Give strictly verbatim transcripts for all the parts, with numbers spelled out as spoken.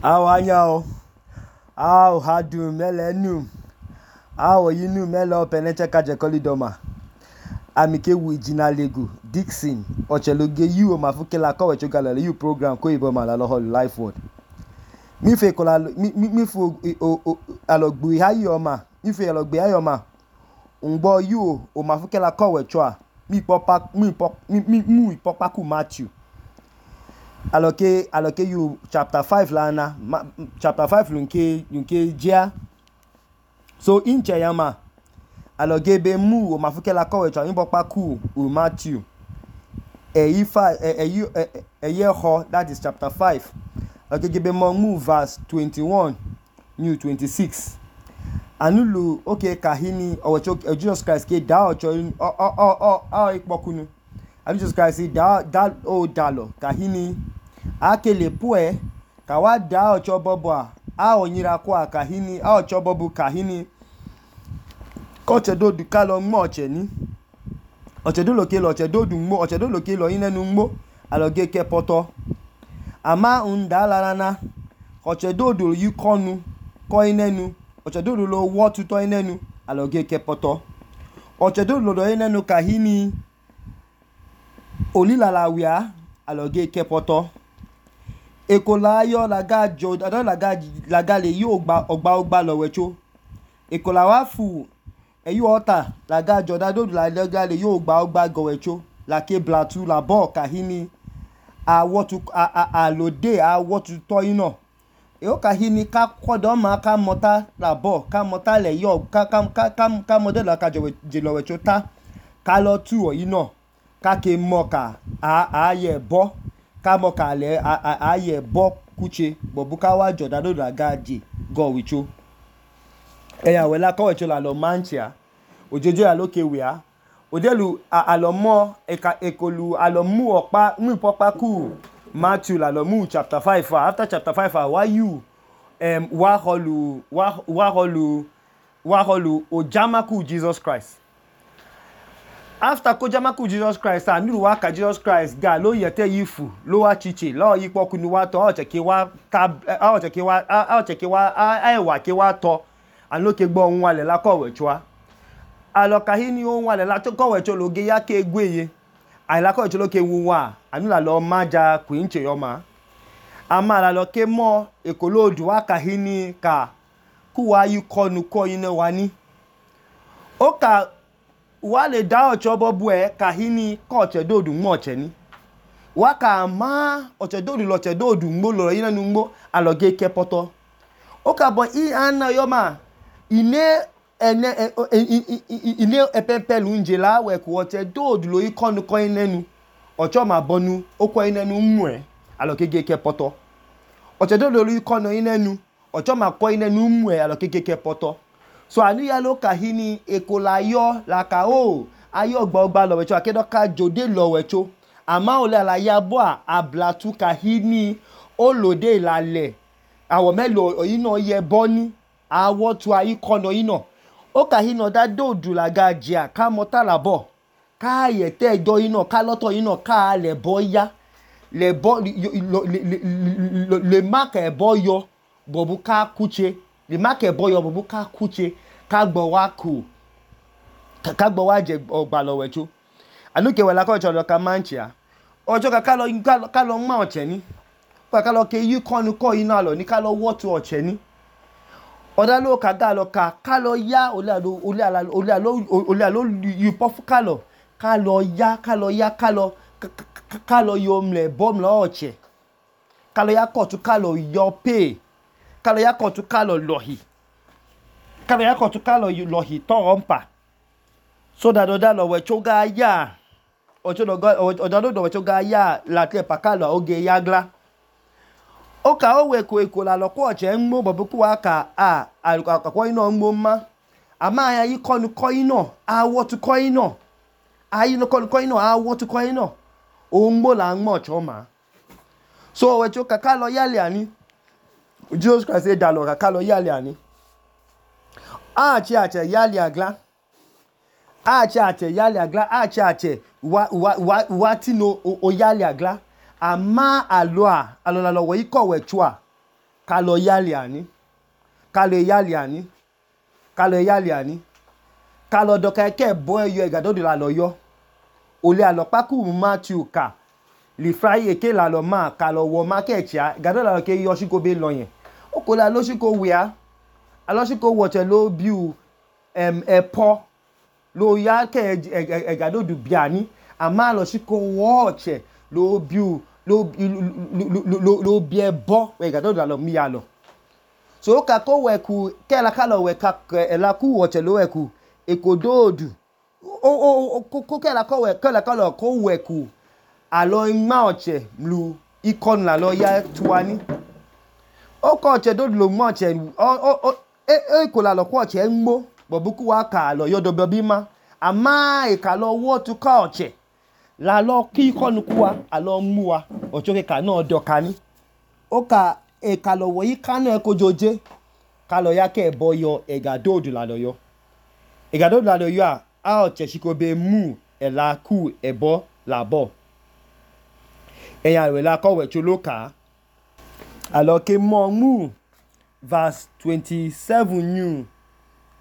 How are you? How had you melenu? How are you nu melo peneche kaje kolidoma? Amike wijina lego Dixon ocheloge you mafukela ko wechogala you program ko ibo ma la lo life word. Mi fe kola mi mi fu alogbu hayo ma. Mi fe alogbu hayo ma. Ngbo you o mafukela ko wechoa. Mi popa mi pop mi mu popa ku Matthew. Aloke aloke you chapter five la na ma, chapter five lunke lunke jia. So in chayama aloge be mu o mafukela ko wechoa mi popa ku u Matthew. E five e e e ye ho that is chapter five. Aloge be mo mu verse twenty-one new twenty-six. Anulu okay kahini o Jesus Christ ke da o o o o o ipokunu. Jesus Christ say da da o dalo kahini akele pue ka wa da ocho bobo a a onyira kwa kahini a ocho bobo kahini koche do du kalo mo oche ni oche do loke lo oche do du mo oche do loke lo inenu mo aloge ke poto ama unda larana oche do du yu konu ko inenu oche do du lo wo tuto inenu aloge ke poto oche do lo do inenu kahini olilala wia aloge ke poto ekola yo laga jo adon laga laga le yo gba ogba ogba lo wecho ekola wa fu eyu ota laga jo dado laga le yo gba ogba go wecho la ke blatu la bo kahini a wotu a a lode a wotu to ino e o kahini ka kodo ma ka mota la bo ka mota le yo ka ka ka ka model la ka jo je lo wecho ta ka lo tu o ino ka ke moka a a ye bo ka moka le a a ye bo kuche bobuka wa joda do laga je go wicho eya we la ko wecho la lo manchia ojojo ya loke wia odelu alomo eka ekolu alomu opa mu popa ku Matthew la lo mu chapter five after chapter five why you um wa holu wa wa holu wa holu ojama ku Jesus Christ. After kojama ku Jesus Christ anu wa ka Jesus Christ ga lo yete yifu lo wa chiche lo yipo kunu wa to o cheke wa ka o cheke wa o cheke wa ai wa ke wa to an lo ke gbo ohun wale la ko wechoa alokahini ohun wale la to ko wecho loge ya ke gweye ai la ko wecho lo ke wuwa anu la lo maja kwinche yo ma ama la lo ke mo ekolodu wa kahini ka ku wa yu konu ko yin wa ni o ka wale da ocho bobu e kahini ko oche dodu mo oche ni waka ma oche dodu lo oche dodu mo lo yin nu mo aloge ke poto o ka bo i ana yo ma ine ene ine epepelu njela we ku oche dodu lo ikonu ko inenu ocho ma bonu o ko inenu mu e aloge ke poto oche dodu lo ikonu inenu ocho ma ko inenu mu e aloge ke poto. So anu ya lo kahini ekola yo la ka o ayo gba ogba lo wecho akedo ka jode lo wecho ama ole ala ya bo a ablatu kahini olode lale awo melo ino ye boni awo tu ayi kono ino o kahino da dodu la gajia ka mota la bo ka ye te do ino ka loto ino ka le boya le bo le le mark e boyo bobu ka kuche le mark e boyo bobu ka kuche ka gbo wa ku ka gbo wa je ogba lo wecho anuke we la ko cho lo ka manchia ojo ka ka lo ka lo ma oche ni ka lo ke yu konu ko ina lo ni ka lo wo tu oche ni oda lo ka ga lo ka ka lo ya ole alo ole ala ole alo ole alo yu pofu ka lo ka lo ya ka lo ya ka lo ka lo yo mle bom lo oche ka lo ya ko tu ka lo yo pay ka lo ya ko tu ka lo lohi ka lo ya ko tu ka lo lohi to ompa so that oda lo we choga ya ocho do oda do we choga ya la te pa ka lo oge yagla o ka o we ko eko la lo ko oche nmo bobu ku aka a akako ino nmo ma ama ya yi konu ko ino a wo tu ko ino ayi no konu ko ino a wo tu ko ino o nmo la nmo cho ma so we choka ka lo yale ani Jesus Christ say da lo ka lo yale ani a chi ache yale agla a chi ache yale agla a chi ache wa wa wa ti no o yale agla ama aloa alola lo we ko we chua Kalo yali ani. Kalo yali ani. Kalo yali ani. Kalo doka eke bo eyo egadodu la lo yo. Ole alo paku Matthew ka. Li fry eke la lo ma kalo wo market ya. Egadodu la lo ke yo shiko be lo yen. Oko la lo shiko wea. Alo shiko woche lo biu em epo. Lo ya ke egadodu biani. Ama lo shiko woche lo biu lo lo lo lo bie bo egadodu la lo mi ya lo. So oka ko weku ke la kalo weka la ku woche lo weku ekododu. O o ko ke la ko we ke la kalo ko weku alo ima oche lu ikon la lo ya tuani. O ko oche dodu lo mo oche o o e e ko la lo ko oche nmo bobuku wa ka lo yodo bobi ma. Ama e ka lo wo tu ka oche la lo ki ikon kuwa alo mu wa ocho ke ka no doka ni. O ka e ka lo wo yi ka no e ko joje ka lo ya ke boyo egadodu la lo yo. Egadodu la lo yo a a oche shiko be mu e la ku ebo la bo. Eya we la ko we chu lo ka. Alo ke mo mu verse twenty-seven new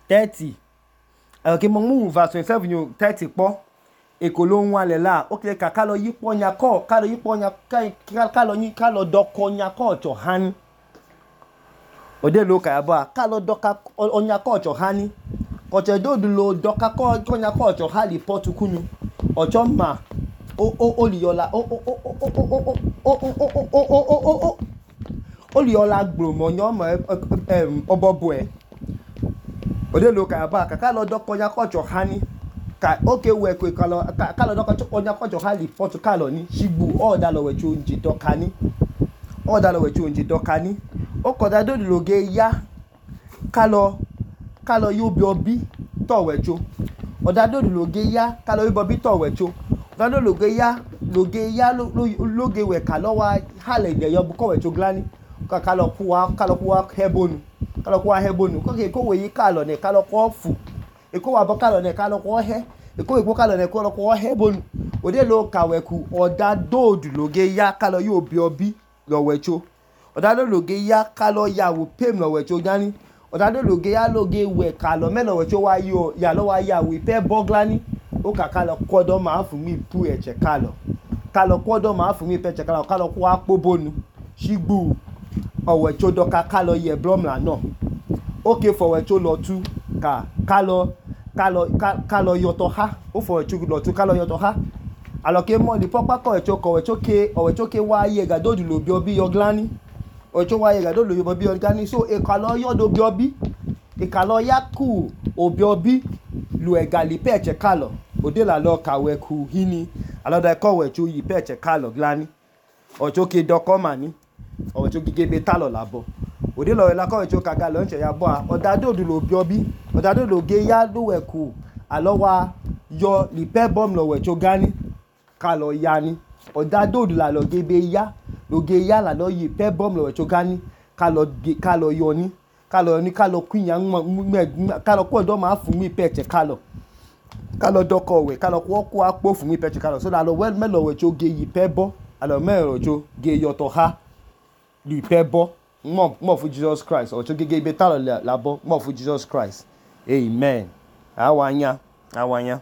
thirty. Alo ke mo mu verse twenty-seven new thirty po. Eko lo nwa le la o ke ka ka lo yipo nya ko ka lo yipo nya ka ka lo yin ka lo doko nya ko cho han. Ode lo ka abo a ka lo doka onya ko cho hani. Oche dodu lo doka ko nya ko cho hali potukunu. Ocho ma o o o li yola o o o o o o o o o o o o li yola gbromo nyo mo em obobo e. Ode lo ka abo a ka lo doko nya ko cho hani. Ka oke we ko ka lo ka lo doka onya ko cho hali potu ka lo ni shigbu o da lo we chu nji doka ni. O da lo we chu nji doka ni. O ko da dodu lo ge ya ka lo ka lo yo bi obi to we chu. O da dodu lo ge ya ka lo yo bi obi to we chu. O da dodu lo ge ya lo ge ya lo lo ge we ka lo wa hale de yo bu ko we chu glani. Ka ka lo ku wa ka lo ku wa hebonu. Ka lo ku wa hebonu. Ko ke ko we yi ka lo ne ka lo ko fu. E ko wa bo ka lo ne ka lo ko he. E ko e ko ka lo ne ko lo ko hebonu. Ode lo ka we ku o da dodu lo ge ya ka lo yo bi obi lo we chu. Odado loge ya ka lo ya wo pem lo we cho jani. Odado loge ya loge we ka lo me lo we cho wa yo ya lo wa ya we pe boglani. O ka ka lo kodo ma fun mi pu eche ka lo. Ka lo kodo ma fun mi pe eche ka lo ka lo ko apo bonu. Shigbu o we cho doka ka lo ye blom la no. Okay for we cho lo tu ka ka lo ka lo ka lo yoto ha. O for we cho lo tu ka lo yoto ha. Alo ke mo li popa ko e cho ko we cho ke o we cho ke wa ye ga dodu lo bi obi yo glani. Ocho wa ye ga do lo yo bi organi so e ka lo yo do bi obi e ka lo ya ku obi obi lu e gali peche ka lo ode la lo ka we ku hini alo da ko we chu yi peche ka lo glani ocho ke doko mani ocho gige be ta lo labo ode lo la ko we chu ka ga lo nche ya bo a oda do du lo bi obi oda do lo ge ya do we ku alo wa yo li pe bom lo we chu gani ka lo ya ni oda do du la lo ge be ya loge ya la lo yi pe bom lo cho gani ka lo ka lo yo ni ka lo ni ka lo queen yan ka lo ko do ma fun mi peche ka lo ka lo doko we ka lo ko ko apo fun mi peche ka lo so da lo well me lo we cho ge yi pe bo alo me ro cho ge yo to ha li pe bo mo mo fu Jesus Christ o cho ge ge be ta lo la bo mo fu Jesus Christ amen awanya awanya